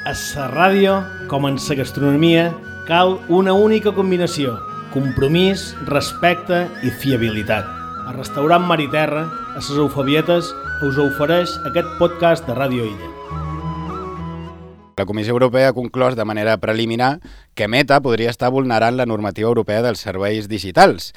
A la ràdio, com en la gastronomia, cal una única combinació: compromís, respecte i fiabilitat. A Restaurant Mar i Terra, a les Eufebietes, us ofereix aquest podcast de Ràdio Illa. La Comissió Europea ha conclòs de manera preliminar que Meta podria estar vulnerant la normativa europea dels serveis digitals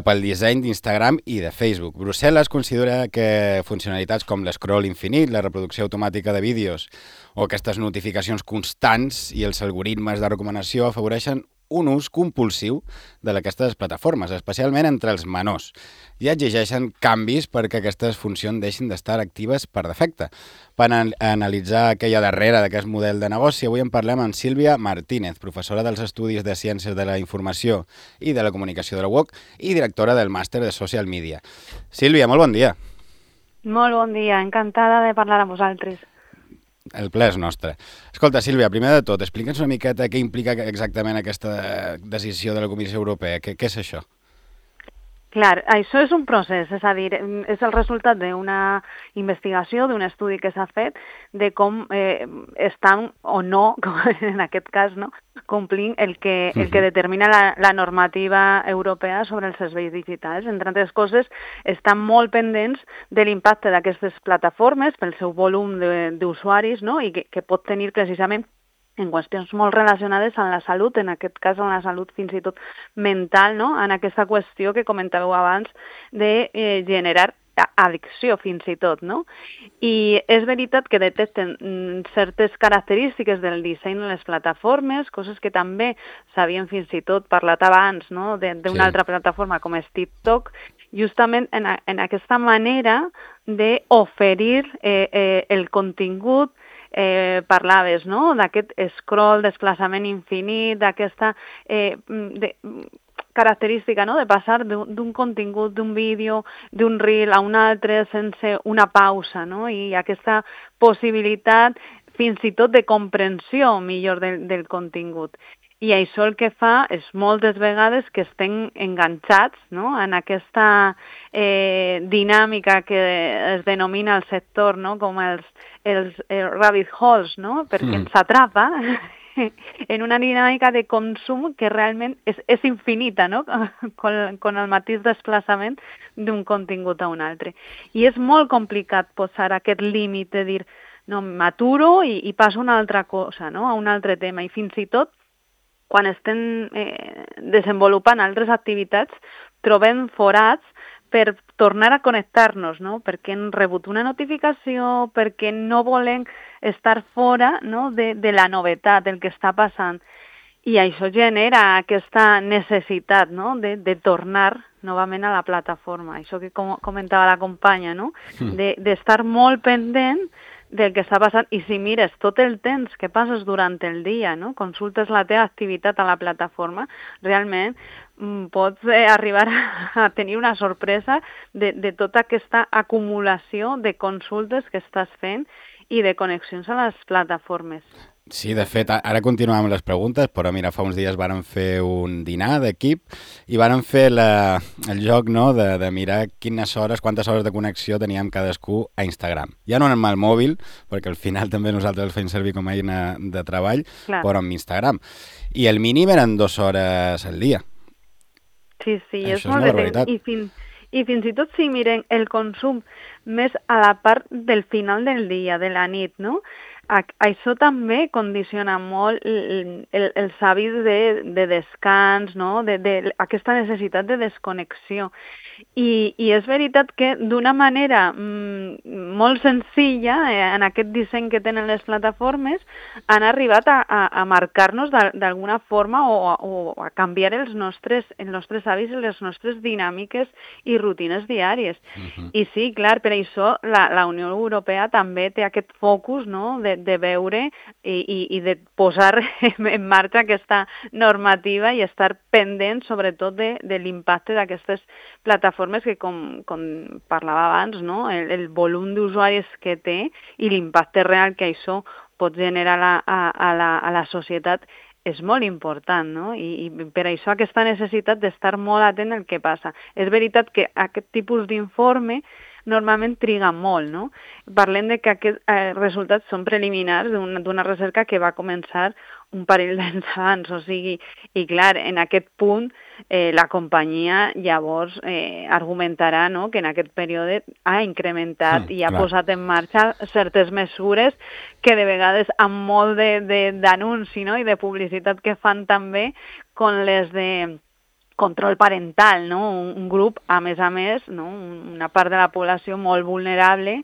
pel disseny d'Instagram i de Facebook. Brussel·les considera que funcionalitats com l'escroll infinit, la reproducció automàtica de vídeos o aquestes notificacions constants i els algoritmes de recomanació afavoreixen un ús compulsiu d'aquestes plataformes, especialment entre els menors, i exigeixen canvis perquè aquestes funcions deixin d'estar actives per defecte. Per analitzar què hi ha darrere d'aquest model de negoci, avui en parlem amb Sílvia Martínez, professora dels Estudis de Ciències de la Informació i de la Comunicació de la UOC i directora del Màster de Social Media. Sílvia, molt bon dia. Molt bon dia, encantada de parlar amb vosaltres. El ple és nostre. Escolta, Sílvia, primer de tot, explica'ns una miqueta què implica exactament aquesta decisió de la Comissió Europea. Què és això? Clar, això és un procés, és a dir, és el resultat d'una investigació, d'un estudi que s'ha fet de com estan o no, en aquest cas, no, complint el que determina la normativa europea sobre els serveis digitals. Entre altres coses, estan molt pendents de l'impacte d'aquestes plataformes pel seu volum d'usuaris, no, i que pot tenir precisament en qüestions molt relacionades amb la salut, en aquest cas amb la salut fins i tot mental, no? En aquesta qüestió que comentàveu abans de generar addicció fins i tot, no? I és veritat que detecten certes característiques del disseny de les plataformes, coses que també s'havien fins i tot parlat abans, no? D'una altra plataforma com és TikTok, justament en aquesta manera d'oferir el contingut. Parlaves, no?, d'aquest scroll, desplaçament infinit, d'aquesta característica, no?, de passar d'un contingut, d'un vídeo, d'un reel a un altre sense una pausa, no?, i aquesta possibilitat fins i tot de comprensió millor del contingut. I això el que fa és moltes vegades que estem enganxats, no?, en aquesta dinàmica que es denomina al sector, no?, com els rabbit holes, no?, perquè ens atrapa en una dinàmica de consum que realment és infinita, no?, con el mateix desplaçament d'un contingut a un altre. I és molt complicat posar aquest límit de dir, no, m'aturo i passo a una altra cosa, no?, a un altre tema, i fins i tot quan estem desenvolupant altres activitats, trobem forats per tornar a connectar-nos, no? Perquè hem rebut una notificació, perquè no volem estar fora, no?, de la novetat, del que està passant. I això genera aquesta necessitat, no?, de tornar novament a la plataforma. Això que comentava la companya, no?, d'estar molt pendent del que està passant, i si mires tot el temps que passes durant el dia, no?, consultes la teva activitat a la plataforma, realment pots arribar a tenir una sorpresa de tota aquesta acumulació de consultes que estàs fent i de connexions a les plataformes. Sí, de fet, ara continuem amb les preguntes, però mira, fa uns dies vàrem fer un dinar d'equip i vàrem fer el joc, no?, de mirar quantes hores de connexió teníem cadascú a Instagram. Ja no amb el mòbil, perquè al final també nosaltres el fem servir com a eina de treball, clar, però amb Instagram. I el mínim eren 2 hores al dia. Sí, és molt barbaritat. I fins i tot si miren el consum més a la part del final del dia, de la nit, no?, això també condiciona molt els hàbits de descans, no?, aquesta necessitat de desconnexió. I és veritat que d'una manera molt senzilla, en aquest disseny que tenen les plataformes, han arribat a marcar-nos d'alguna forma o a canviar els nostres hàbits i les nostres dinàmiques i rutines diàries. I sí, clar, per això la Unió Europea també té aquest focus, no?, de veure i de posar en marxa aquesta normativa i estar pendent sobretot de l'impacte d'aquestes plataformes que, com parlava abans, no?, el volum d'usuaris que té i l'impacte real que això pot generar a la societat és molt important, no? I per això aquesta necessitat d'estar molt atent al que passa. És veritat que aquest tipus d'informe normalment triga molt, no? Parlem de que aquests resultats són preliminars d'una recerca que va començar un parell d'anys abans, o sigui, i clar, en aquest punt la companyia llavors argumentarà, no?, que en aquest període ha incrementat i ha posat en marxa certes mesures que de vegades amb molt d'anunci, no?, i de publicitat que fan també com les de control parental, no? Un grup, a més, no? Una part de la població molt vulnerable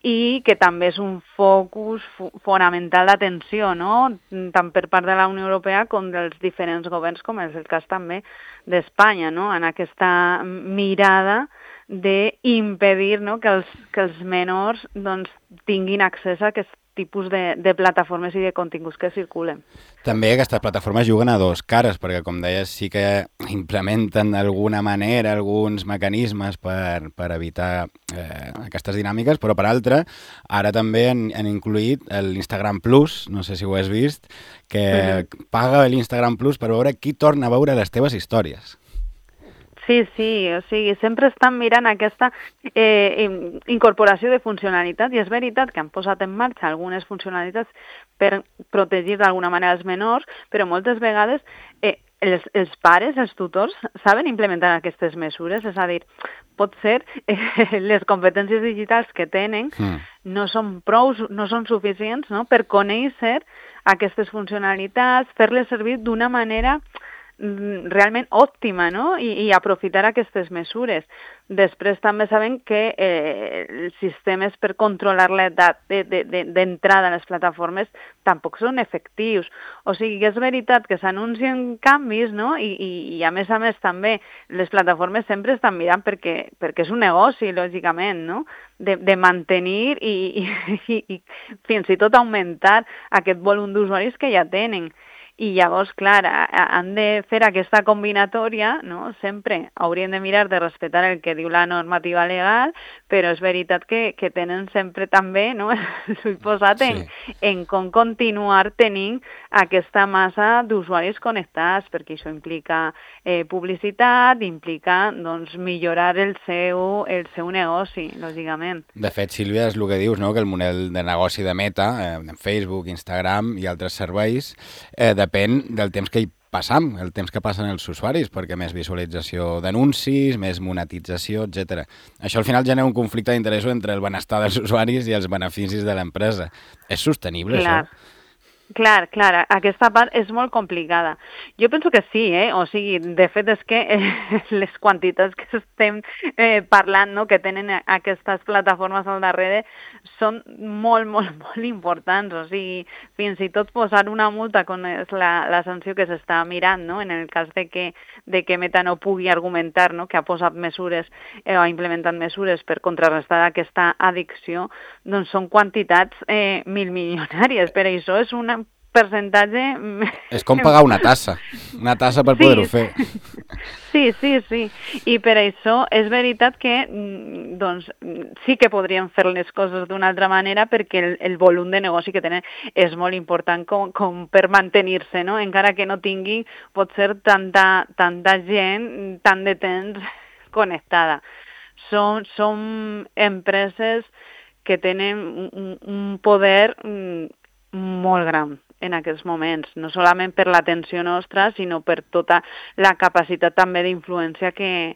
i que també és un focus fonamental d'atenció, no? Tant per part de la Unió Europea com dels diferents governs, com és el cas també d'Espanya, no? En aquesta mirada d'impedir, no?, que els menors doncs, tinguin accés a aquest tipus de plataformes i de continguts que circulen. També aquestes plataformes juguen a dos cares, perquè com deies sí que implementen d'alguna manera alguns mecanismes per evitar aquestes dinàmiques, però per altra, ara també han incluït l'Instagram Plus, no sé si ho has vist, que paga l'Instagram Plus per veure qui torna a veure les teves històries. Sí, o sigui, sempre estan mirant aquesta incorporació de funcionalitat i és veritat que han posat en marxa algunes funcionalitats per protegir d'alguna manera els menors, però moltes vegades els pares, els tutors, saben implementar aquestes mesures, és a dir, pot ser les competències digitals que tenen no són suficients, no?, per conèixer aquestes funcionalitats, fer-les servir d'una manera realment òptima, no?, i aprofitar aquestes mesures. Després també sabem que els sistemes per controlar l'edat d'entrada a les plataformes tampoc són efectius. O sigui que és veritat que s'anuncien canvis, no?, i a més també les plataformes sempre estan mirant perquè és un negoci, lògicament, no?, de mantenir i fins i tot augmentar aquest volum d'usuaris que ja tenen. I llavors, clar, han de fer aquesta combinatòria, no? Sempre haurien de mirar de respectar el que diu la normativa legal, però és veritat que tenen sempre també, no?, l'ull posat en com continuar tenint aquesta massa d'usuaris connectats, perquè això implica publicitat, implica doncs, millorar el seu negoci, lògicament. De fet, Sílvia, és el que dius, no?, que el model de negoci de Meta, Facebook, Instagram i altres serveis, depèn del temps que hi passam, el temps que passen els usuaris, perquè més visualització d'anuncis, més monetització, etc. Això al final genera un conflicte d'interessos entre el benestar dels usuaris i els beneficis de l'empresa. És sostenible, això? Clar, aquesta part és molt complicada. Jo penso que sí, o sigui, de fet és que les quantitats que estem parlant, no?, que tenen aquestes plataformes al darrere són molt, molt, molt importants. O sigui, fins i tot posar una multa, com és la sanció que s'està mirant, no?, en el cas de que Meta no pugui argumentar, no?, que ha posat mesures o ha implementat mesures per contrarrestar aquesta addicció, doncs són quantitats milmilionàries. Per això és un percentatge... És com pagar una tassa per poder-ho fer. Sí. I per això és veritat que doncs, sí que podríem fer les coses d'una altra manera perquè el volum de negoci que tenen és molt important com per mantenir-se, no? Encara que no tingui, pot ser tanta gent, tant de temps connectada. Són empreses que tenen un poder molt gran en aquests moments, no solament per l'atenció nostra, sinó per tota la capacitat també d'influència que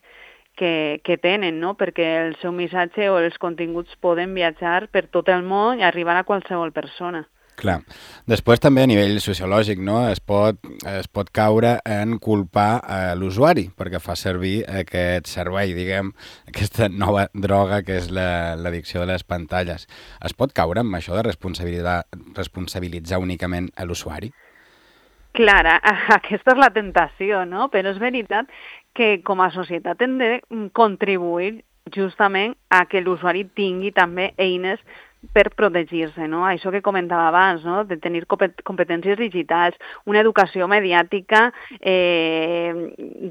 tenen, no? Perquè el seu missatge o els continguts poden viatjar per tot el món i arribar a qualsevol persona. Clar. Després també a nivell sociològic, no? Es pot caure en culpar l'usuari perquè fa servir aquest servei, diguem, aquesta nova droga que és l'addicció de les pantalles. Es pot caure amb això de responsabilitzar únicament a l'usuari? Clar, aquesta és la tentació, no? Però és veritat que com a societat hem de contribuir justament a que l'usuari tingui també eines per protegir-se, no? Això que comentava abans, no? De tenir competències digitals, una educació mediàtica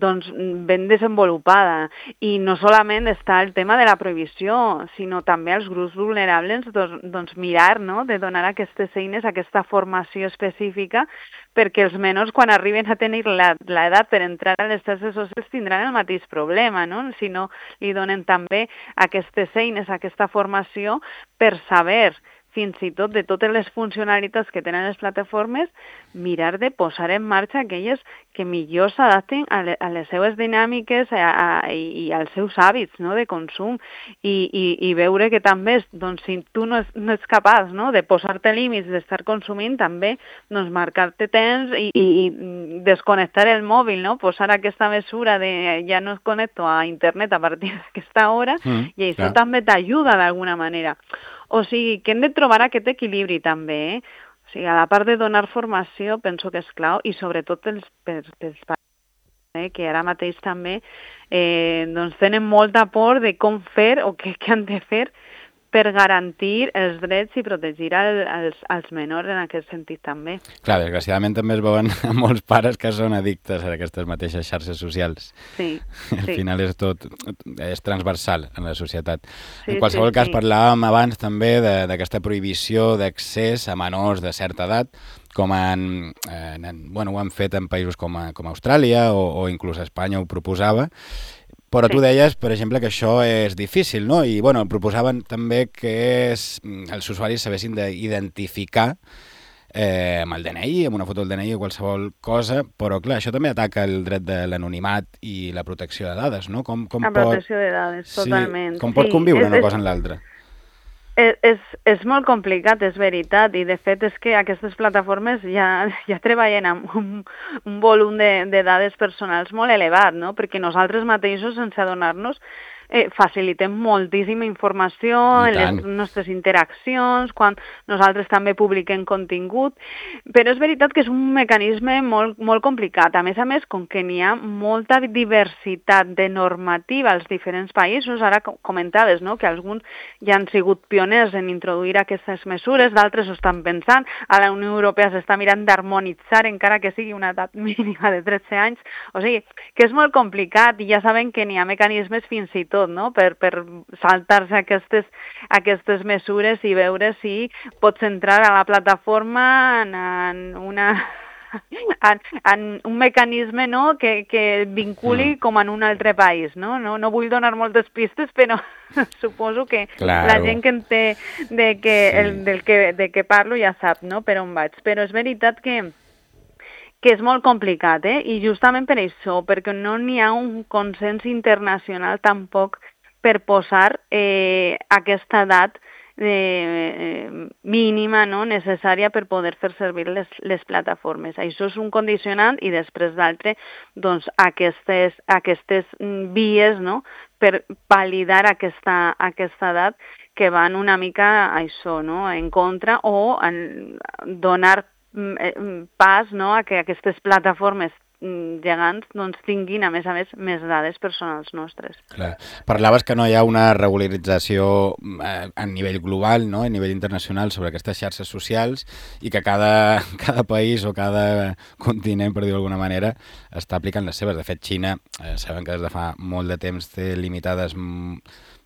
doncs ben desenvolupada. I no solament està el tema de la prohibició, sinó també els grups vulnerables doncs mirar, no? De donar aquestes eines, aquesta formació específica, perquè els menors, quan arriben a tenir l'edat per entrar a les xarxes socials, tindran el mateix problema, no? Si no li donen també aquestes eines, aquesta formació, per saber fins i tot de totes les funcionalitats que tenen les plataformes, mirar de posar en marxa aquelles que millor s'adapten a les seves dinàmiques i als seus hàbits, no? De consum, i veure que també, doncs, si tu no ets capaç, no? De posar-te límits, d'estar consumint, també doncs, marcar-te temps i desconnectar el mòbil, no? Posar aquesta mesura de ja no es connecto a internet a partir d'aquesta hora, i això també t'ajuda d'alguna manera. O sigui, que hem de trobar aquest equilibri també, O sigui, a la part de donar formació penso que és clau, i sobretot pels pares, que ara mateix també doncs tenen molta por de com fer o què han de fer per garantir els drets i protegir els menors en aquest sentit també. Clar, desgraciadament també es veuen molts pares que són addictes a aquestes mateixes xarxes socials. Sí. Al final és transversal en la societat. En qualsevol cas, parlàvem abans també d'aquesta prohibició d'accés a menors de certa edat, com ho han fet en països com Austràlia o inclús Espanya ho proposava. Però tu deies, per exemple, que això és difícil, no? I, proposaven també que els usuaris sabessin d'identificar amb el DNI, amb una foto del DNI o qualsevol cosa, però, clar, això també ataca el dret de l'anonimat i la protecció de dades, no? Protecció de dades, totalment. Com pot conviure una cosa amb l'altra? És molt complicat, és veritat, i de fet és que aquestes plataformes ja treballen amb un volum de dades personals molt elevat, no? Perquè nosaltres mateixos, sense adonar-nos, facilitem moltíssima informació en les nostres interaccions, quan nosaltres també publiquem contingut, però és veritat que és un mecanisme molt, molt complicat. A més, com que n'hi ha molta diversitat de normativa als diferents països, ara comentaves, no?, que alguns ja han sigut pioners en introduir aquestes mesures, d'altres ho estan pensant, a la Unió Europea s'està mirant d'harmonitzar encara que sigui una edat mínima de 13 anys, o sigui, que és molt complicat i ja sabem que n'hi ha mecanismes fins i tot, no? Per saltar-se aquestes mesures i veure si pots entrar a la plataforma en un mecanisme, no?, que vinculi com en un altre país, no? No vull donar moltes pistes, però suposo que la gent que en té de què parlo ja sap, no?, per on vaig. Però és veritat que és molt complicat, i justament per això, perquè no n'hi ha un consens internacional tampoc per posar aquesta edat mínima, no?, necessària per poder fer servir les plataformes. Això és un condicionant, i després d'altre, doncs, aquestes vies, no?, per validar aquesta edat, que van una mica a això, no?, en contra, o donar pas, no?, a que aquestes plataformes gegants doncs, tinguin, a més, més dades personals nostres. Clar. Parlaves que no hi ha una regularització a nivell global, no?, a nivell internacional, sobre aquestes xarxes socials, i que cada país o cada continent, per dir-ho d'alguna manera, està aplicant les seves. De fet, Xina, sabem que des de fa molt de temps té limitades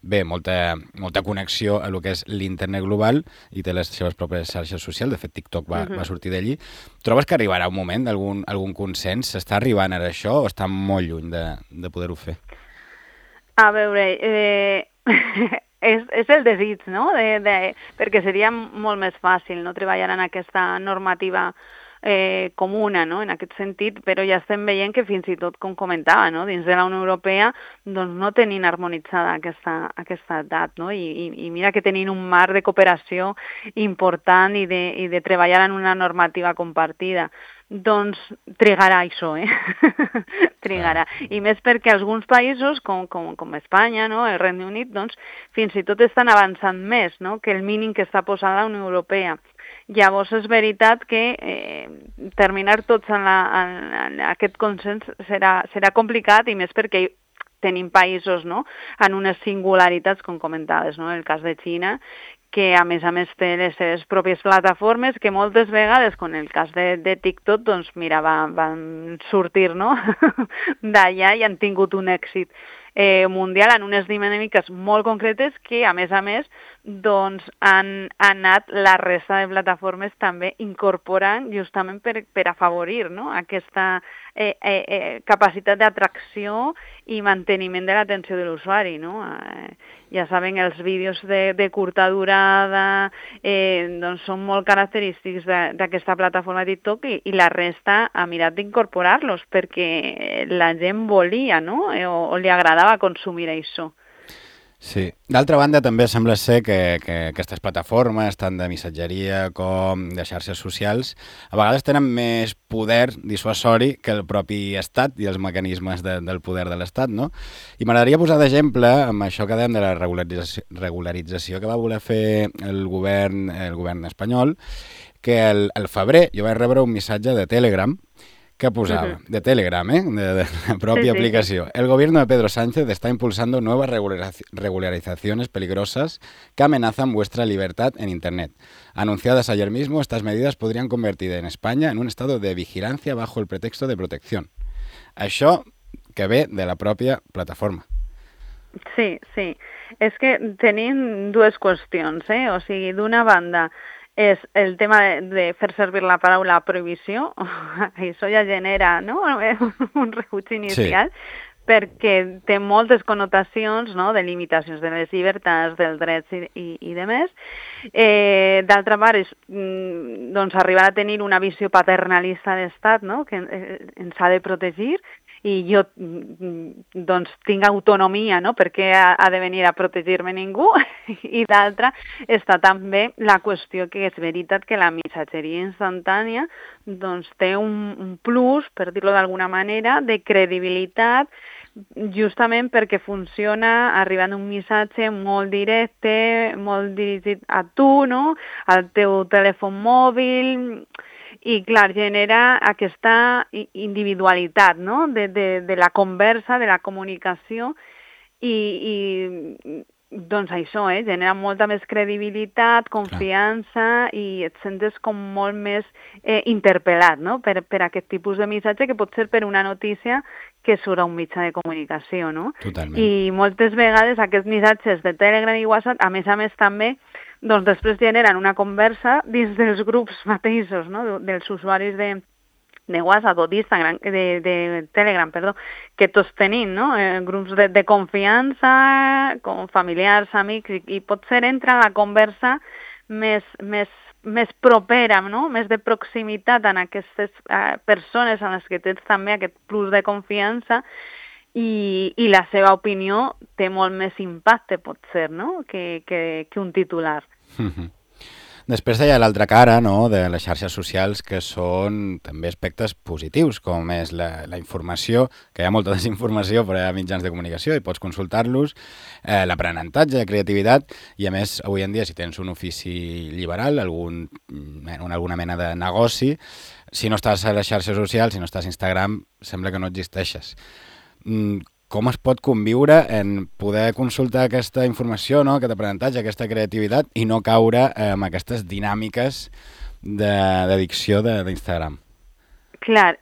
molta connexió a lo que és l'internet global i té les seves pròpies xarxes socials. De fet, TikTok va sortir d'allí. Trobes que arribarà un moment d'algun consens? S'està arribant a això o està molt lluny de poder-ho fer? A veure, és el desig, no?, perquè seria molt més fàcil, no?, treballar en aquesta normativa comuna, no?, en aquest sentit, però ja estem veient que fins i tot, com comentava, no?, dins de la Unió Europea doncs no tenim harmonitzada aquesta edat, no?, i mira que tenim un marc de cooperació important i de treballar en una normativa compartida. Doncs trigarà això, trigarà. I més perquè alguns països, com Espanya, no?, el Regne Unit, doncs fins i tot estan avançant més, no?, que el mínim que està posant la Unió Europea. Llavors és veritat que terminar tots en aquest consens serà complicat, i més perquè tenim països, no?, en unes singularitats, com comentaves, no?, el cas de Xina, que a més té les seves pròpies plataformes, que moltes vegades, com en el cas de TikTok, doncs mira, van sortir, no? d'allà i han tingut un èxit mundial en unes dinàmiques molt concretes que, a més, doncs han anat la resta de plataformes també incorporant justament per afavorir, no? Aquesta capacitat d'atracció i manteniment de l'atenció de l'usuari, no? Ja saben, els vídeos de curta durada doncs són molt característics d'aquesta plataforma TikTok i la resta ha mirat d'incorporar-los perquè la gent volia, no? O li agradava consumir això. Sí. D'altra banda, també sembla ser que aquestes plataformes, tant de missatgeria com de xarxes socials, a vegades tenen més poder dissuasori que el propi Estat i els mecanismes del poder de l'Estat, no? I m'agradaria posar d'exemple amb això que dèiem de la regularització que va voler fer el govern espanyol, que al febrer jo vaig rebre un missatge de Telegram que posaba, de Telegram, de la propia aplicación. El gobierno de Pedro Sánchez está impulsando nuevas regularizaciones peligrosas que amenazan vuestra libertad en Internet. Anunciadas ayer mismo, estas medidas podrían convertir en España en un estado de vigilancia bajo el pretexto de protección. Això que ve de la pròpia plataforma. Sí. És que tenim dues qüestions, O sigui, d'una banda, és el tema de fer servir la paraula prohibició, això ja genera, no?, un rebuig inicial, perquè té moltes connotacions, no?, de limitacions de les llibertats, dels drets i de més. D'altra part, doncs arribar a tenir una visió paternalista d'estat, no?, que ens ha de protegir, i jo doncs tinc autonomia, no?, perquè ha de venir a protegir-me ningú, i d'altra està també la qüestió que és veritat que la missatgeria instantània doncs té un plus, per dir-ho d'alguna manera, de credibilitat, justament perquè funciona arribant un missatge molt directe, molt dirigit a tu, no?, al teu telèfon mòbil. I, clar, genera aquesta individualitat, no?, de la conversa, de la comunicació, i doncs això, genera molta més credibilitat, confiança, i et sentes com molt més interpel·lat, no?, per aquest tipus de missatge, que pot ser per una notícia que surt a un mitjà de comunicació, no? Totalment. I moltes vegades aquests missatges de Telegram i WhatsApp, a més també, doncs després generen una conversa dins dels grups mateixos, no?, dels usuaris de WhatsApp o d'Instagram, de Telegram, que tots tenim, no?, grups de confiança, com familiars, amics, i potser entra la conversa més propera, no?, més de proximitat en aquestes persones en les que tens també aquest plus de confiança, i la seva opinió té molt més impacte, pot ser, no?, que un titular. Després hi ha l'altra cara, no?, de les xarxes socials, que són també aspectes positius, com és la informació, que hi ha molta desinformació, però hi ha mitjans de comunicació i pots consultar-los, l'aprenentatge, la creativitat, i a més, avui en dia, si tens un ofici liberal, alguna mena de negoci, si no estàs a les xarxes socials, si no estàs a Instagram, sembla que no existeixes. Com es pot conviure en poder consultar aquesta informació, no?, aquest aprenentatge, aquesta creativitat, i no caure en aquestes dinàmiques d'addicció d'Instagram? Clar,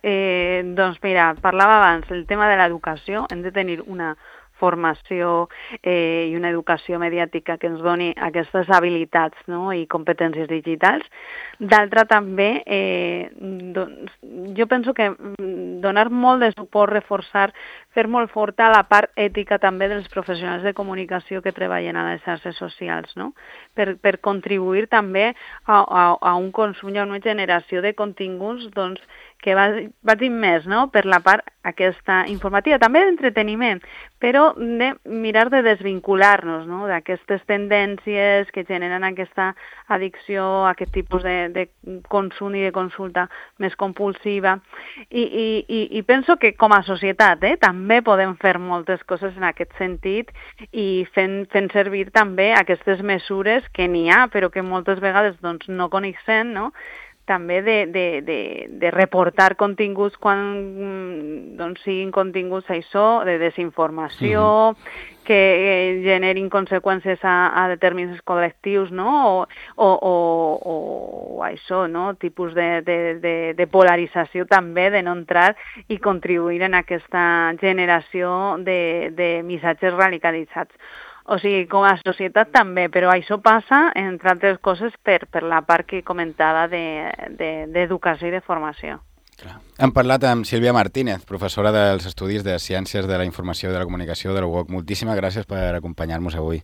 doncs mira, parlava abans, el tema de l'educació, hem de tenir una formació i una educació mediàtica que ens doni aquestes habilitats, no?, i competències digitals. D'altra també, doncs, jo penso que donar molt de suport, reforçar, fer molt forta la part ètica també dels professionals de comunicació que treballen a les xarxes socials, no?, per contribuir també a un consum i a una generació de continguts, doncs, que vagin més, no?, per la part aquesta informativa, també d'entreteniment, però de mirar de desvincular-nos, no?, d'aquestes tendències que generen aquesta addicció, aquest tipus de consum i de consulta més compulsiva. I penso que com a societat també podem fer moltes coses en aquest sentit i fent servir també aquestes mesures que n'hi ha, però que moltes vegades doncs, no coneixem, no?, també de reportar continguts quan doncs, siguin continguts això, de desinformació, que generin conseqüències a determinats col·lectius, no? O això, no? Tipus de polarització també, de no entrar i contribuir en aquesta generació de missatges radicalitzats. O sigui, com a societat també, però això passa, entre altres coses, per la part que comentava d'educació i de formació. Clar. Hem parlat amb Sílvia Martínez, professora dels Estudis de Ciències de la Informació i de la Comunicació de la UOC. Moltíssimes gràcies per acompanyar-nos avui.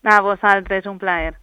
A vosaltres, un plaer.